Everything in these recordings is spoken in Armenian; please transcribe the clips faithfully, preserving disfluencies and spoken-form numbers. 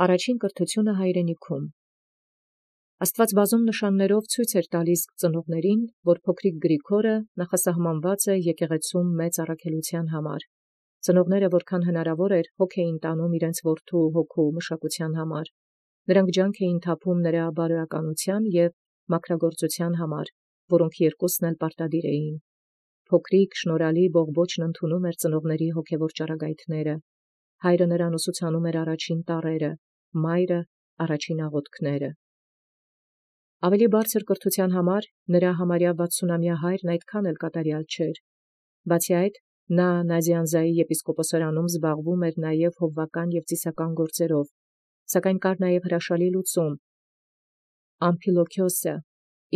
Առաջին կրթութիւնը հայրենիքում։ Աստուած բազում նշաններով ցույց էր տալիս ծնողներին, որ փոքրիկ Գրիգորը նախասահմանված է եկեղեցում մեծ առաքելութեան համար։ Ծնողները որքան հնարավոր էր հոգ էին տանում իրենց որդու հոգու մշակութեան համար։ Նրանք ջանք էին թափում նրա բարոյականութեան եւ մաքրագործութեան համար, որոնք երկուսն էլ պարտադիր էին։ Փոքրիկ շնորհալի բողբոջն ընդունում էր ծնողների հոգևոր ճառագայթները։ Հայրը նրան ուսուցանում էր առաջին տառերը, մայրը առաջին աղոթքները։ Ավելի բարձր կրթութեան համար նրա համարյա վաթսունամյա հայրն այդքան էլ կատարյալ չէր։ Բացի այդ, նա Նազիանզայի եպիսկոպոսարանում զբաղվում էր նաև հովվական եւ ծիսական գործերով, սակայն կար նաև հրաշալի լուծում։ Ամփիլոքիոսը,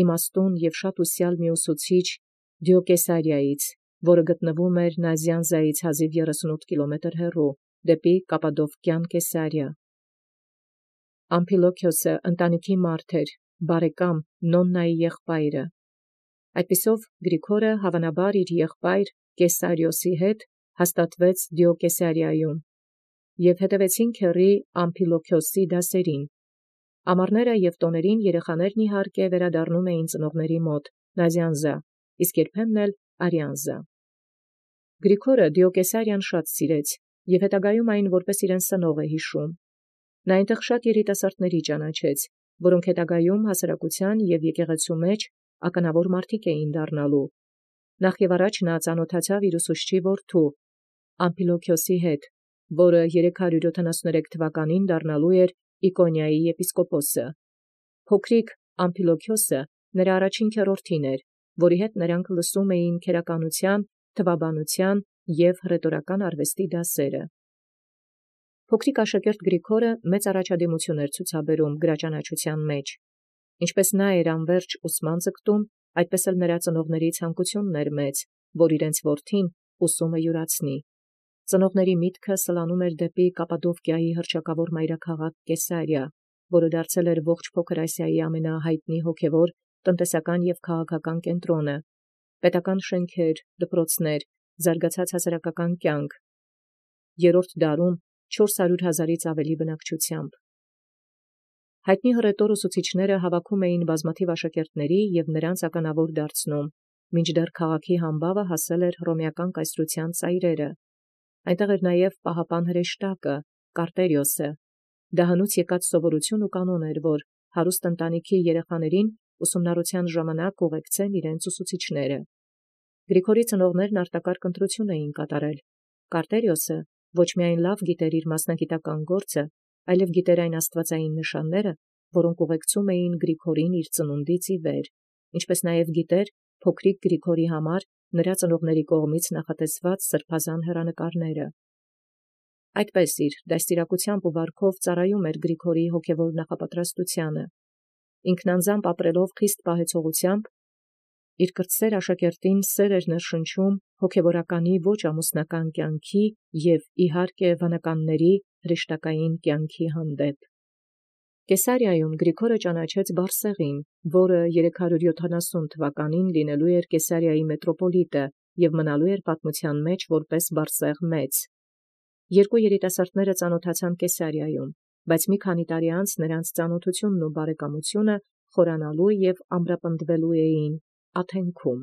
իմաստուն եւ շատ ուսյալ մի ուսուցիչ Դիոկեսարիայից, որը գտնվում էր Նազիանզայից հազիվ երեսունութ կիլոմետր հեռու, դեպի Կապադովկյան Կեսարիա։ Ամփիլոքիոսը ընտանիքի մարդ էր, բարեկամ Նոննայի եղբայրը։ Այդպիսով Գրիգորը հավանաբար իր եղբայր Կեսարիոսի հետ հաստատվեց Դիոկեսարիայում եւ հետևեցին քեռի Ամփիլոքիոսի դասերին։ Ամառները եւ տոներին երեխաներն իհարկե վերադառնում էին ծնողների մոտ Նազիանզա, իսկ երբեմն էլ Արիանզա։ Գրիգորը Դիոկեսարիան շատ սիրեց եւ հետագայում այն որպես իրեն սնող է հիշում։ Նա այնտեղ շատ երիտասարդների ճանաչեց, որոնք հետագայում հասարակության եւ եկեղեցու մեջ ականավոր մարդիկ էին դառնալու։ Նախ եւ առաջ նա ծանոթացավ իր ուսուցչի որդու Ամփիլոքիոսի հետ, որը երեք հարյուր յոթանասուներեք թվականին դառնալու էր Իկոնիայի եպիսկոպոսը։ Փոքրիկ Ամփիլոքիոսը նրա առաջին քեռորդին էր, որի հետ նրանք լսում էին քերականութեան, թվաբանութեան եւ հռետորական արվեստի դասերը։ Փոքրիկ աշակերտ Գրիգորը մեծ առաջադիմություն էր ցուցաբերում գրաճանաչութեան մեջ։ Ինչպես նա էր անվերջ ուսման ձգտում, այդպես էլ նրա ծնողների ցանկությունն էր մեծ, որ իրենց որդին ուսումը յուրացնի։ Ծնողների միտքը սլանում էր դեպի Կապադովկիայի հռչակավոր մայրաքաղաք Կեսարիա, որը դարձել էր ողջ Փոքր Ասիայի ամենահայտնի հոգևոր, տնտեսական եւ քաղաքական կենտրոնը, պետական շենքեր, դպրոցներ, զարգացած հասարակական կյանք։ Երրորդ դարում չորս հարյուր հազարից ավելի բնակչությամբ։ Հայտնի հռետոր ուսուցիչները հավաքում էին բազմաթիվ աշակերտների եւ նրանց ականավոր դարձնում, մինչդեռ քաղաքի համբավը հասել էր հռոմեական կայսրութեան ծայրերը։ Այնտեղ էր նաև պահապան հրեշտակը, Կարտերիոսը։ Դա հնուց եկած սովորություն ու կանոն էր, որ հարուստ ընտանիքի երեխաներին ուսումնառության ժամանակ ուղեկցեն իրենց ուսուցիչները։ Գրիգորի ծնողներն արտակարգ ընտրություն էին կատարել։ Կարտերիոսը ոչ միայն լավ գիտեր իր մասնագիտական գործը, այլև գիտեր այն աստվածային նշանները, որոնք ուղեկցում էին Գրիգորին իր ծնունդից ի վեր, ինչպես նաև գիտեր փոքրիկ Գրիգորի համար նրա ծնողների կողմից նախատեսված սրբազան հեռանկարները։ Այդպես իր դաստիարակությամբ ու վարքով ծառայում էր Գրիգորի հոգևոր նախապատրաստությանը։ Ինքնանձամբ ապրելով խիստ պահեցողությամբ, իր կրտսեր աշակերտին սեր էր ներշնչում հոգևորականի ոչ ամուսնական կյանքի եւ իհարկե վանականների հրեշտակային կյանքի հանդեպ։ Կեսարիայում Գրիգորը ճանաչեց Բարսեղին, որը երեք հարյուր յոթանասուն թվականին լինելու էր Կեսարիայի մետրոպոլիտը եւ մնալու էր պատմության մեջ որպես Բարսեղ մեծ։ Երկու երիտասարդները ծանոթացան Կեսարիայում, բայց մի քանի տարի անց նրանց ծանոթությունն ու բարեկամությունը խորանալու եւ ամրապնդվելու էին Աթենքում։